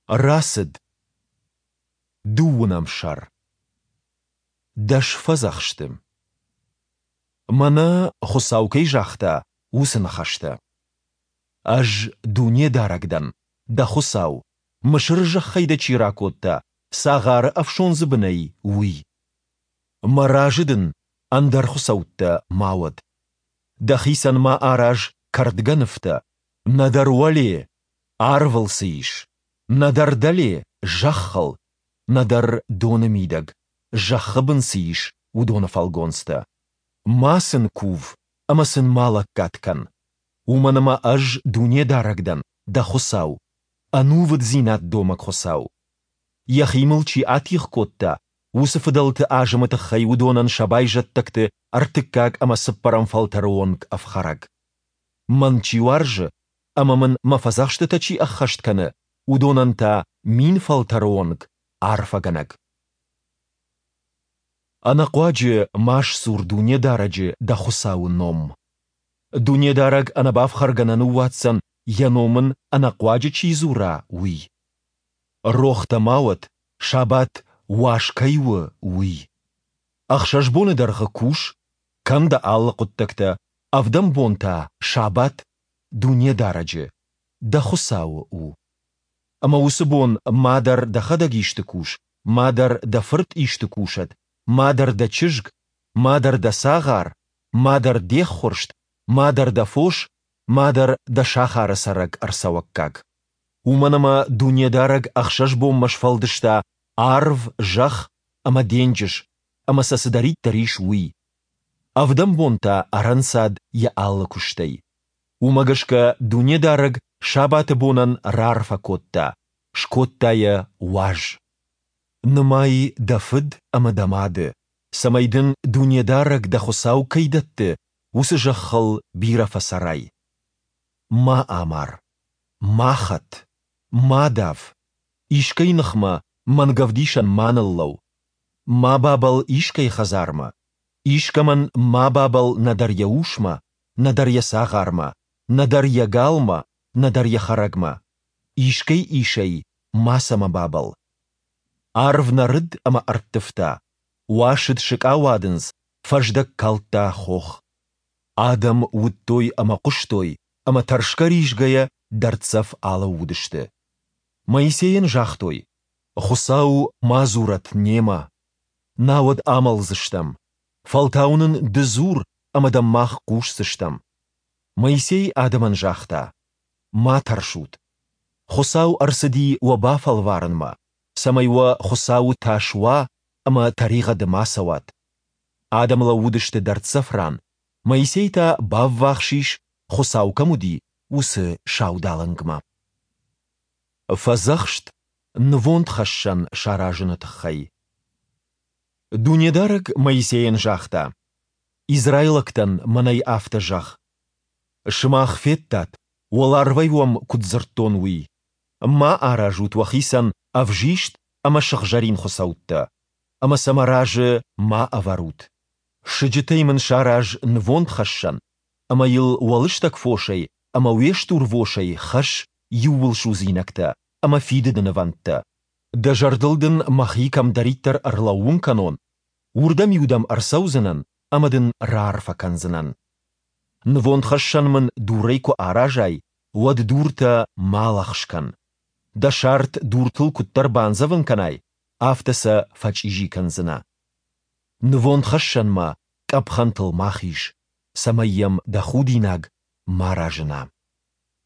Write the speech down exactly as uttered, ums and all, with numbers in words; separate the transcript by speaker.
Speaker 1: Рацыд. Дыууынӕм сӕр. Дӕс фӕдзӕхсты. Мӕнӕ, Хуыцау кӕй загъта, уыцы ныхӕстӕ. Ӕз Дунедарӕг дӕн, дӕ Хуыцау, Мысыры зӕххӕй дӕ чи ракодта, цагъары ӕфсондзы бынӕй, уый. Мӕ разы дын ӕндӕр хуыцӕуттӕ ма уӕд. Дӕхицӕн ма араз кӕрдгӕ нывтӕ, нӕдӕр уӕле, арвыл цы ис, нӕдӕр дӕле, зӕххыл, нӕдӕр доны мидӕг, зӕххы бын цы ис, уыдоны фӕлгонцтӕ. Ма сын кув ӕмӕ сын ма лӕггад кӕн. Уымӕн ӕмӕ Ӕз Дунедарӕг дӕн, дӕ Хуыцау, ӕнувыддзинад домӕг Хуыцау. Йӕхи мыл чи атигъ кодта, уыцы фыдӕлты азымы тыххӕй уыдонӕн сӕ байзӕддӕгты ӕртыккаг ӕмӕ цыппӕрӕм фӕлтӕры онг ӕфхӕрӕг. Мӕн чи уарзы ӕмӕ мын мӕ фӕдзӕхстытӕ чи ӕххӕст кӕны, уыдонӕн та мин фӕлтӕры онг арфӕгӕнӕг. Ӕнӕхъуаджы ма сдзур Дунедарӕджы, дӕ Хуыцауы, ном. Дунедарӕг ӕнӕбафхӕргӕ нӕ ныууадздзӕн, Йӕ ном ын ӕнӕхъуаджы чи дзура, уый. Рох дӕ ма уӕд, сабат уаз кӕй у, уый. Ӕхсӕз боны дӕргъы кус, кӕн дӕ алы хъуыддӕгтӕ, ӕвдӕм бон та, сабат, Дунедарӕджы, дӕ Хуыцауы, у. Ӕмӕ уыцы бон ма дӕр дӕхӕдӕг исты кус, ма дӕр дӕ фырт исты кусӕд, ма дӕр дӕ чызг, ма дӕр дӕ цагъар, ма дӕр де ххуырст, ма дӕр дӕ фос, ма дӕр дӕ сахары цӕрӕг ӕрцӕуӕггаг. Уымӕн ӕмӕ Дунедарӕг ӕхсӕз бонмӕ сфӕлдыста арв, зӕхх ӕмӕ денджыз, ӕмӕ сӕ цыдӕриддӕр ис, уый. Ӕвдӕм бон та ӕрӕнцад йӕ алы куыстӕй. Уымӕ гӕсгӕ Дунедарӕг сабаты бонӕн раарфӕ кодта, скодта йӕ уаз. Нымай дӕ фыд ӕмӕ дӕ мады, цӕмӕй дын Дунедарӕг дӕ Хуыцау кӕй дӕтты, уыцы зӕххыл бирӕ фӕцӕрай. Ма амар. Ма хӕт. Ма дав. Искӕй ныхмӕ мӕнгӕвдисӕн ма ныллӕуу. Ма бабӕлл искӕй хӕдзармӕ. Искӕмӕн ма бабӕлл нӕдӕр йӕ усмӕ, нӕдӕр йӕ цагъармӕ, нӕдӕр йӕ галмӕ, нӕдӕр йӕ хӕрӕгмӕ. Искӕй исӕй мацӕмӕ бабӕлл. Арв нӕрыд ӕмӕ ӕрттывта, уасыд сыкъауадындз, фӕздӕг калдта хох. Адӕм уыдтой ӕмӕ хъуыстой, ӕмӕ тӕрсгӕ-ризгӕйӕ дӕрддзӕф алӕууыдысты. Моисейӕн загътой, Хуыцау ма дзурӕд немӕ, науӕд амӕлдзыстӕм. Фӕлтау нын ды дзур, ӕмӕ дӕм мах хъусдзыстӕм. Моисей адӕмӕн загъта, Ма тӕрсут. Хуыцау ӕрцыди уӕ бафӕлварынмӕ, цӕмӕй уӕ Хуыцауы тас уа ӕмӕ тӕригъӕды ма цӕуат. Адӕм лӕууыдысты дӕрддзӕф ран, Моисей та баввахс ис, Хуыцау кӕм уыди, уыцы саудалынгмӕ. Фӕдзӕхст нывондхӕссӕн саразыны тыххӕй. Дунедарӕг Моисейӕн загъта: Израилӕгтӕн мӕнӕй афтӕ зӕгъ: Сымах федтат, уӕларвӕй уӕм куыд дзырдтон, уый. Ма аразут уӕхицӕн ӕвзист ӕмӕ сыгъзӕрин хуыцӕуттӕ, ӕмӕ сӕ мӕ разы ма ӕвӕрут. Сыджытӕй мын сараз нывондхӕссӕн, ӕмӕ йыл уӕ лыстӕг фосӕй ӕмӕ уе стурвосӕй хӕсс иууылсудзинӕгтӕ ӕмӕ фидыды нывӕндтӕ. Дӕ зӕрдыл дын мӕхи кӕмдӕриддӕр ӕрлӕууын кӕнон, уырдӕм-иу дӕм ӕрцӕудзынӕн ӕмӕ дын раарфӕ кӕндзынӕн. Нывондхӕссӕн мын дурӕй куы аразай, уӕд дуртӕ ма лӕгъз кӕн. Дӕ сарт дуртыл куыддӕр бандзӕвын кӕнай, афтӕ сӕ фӕчъизи кӕндзынӕ. Нывондхӕссӕнмӕ къӕпхӕнтыл ма хиз, цӕмӕй йӕм дӕ худинаг ма разына.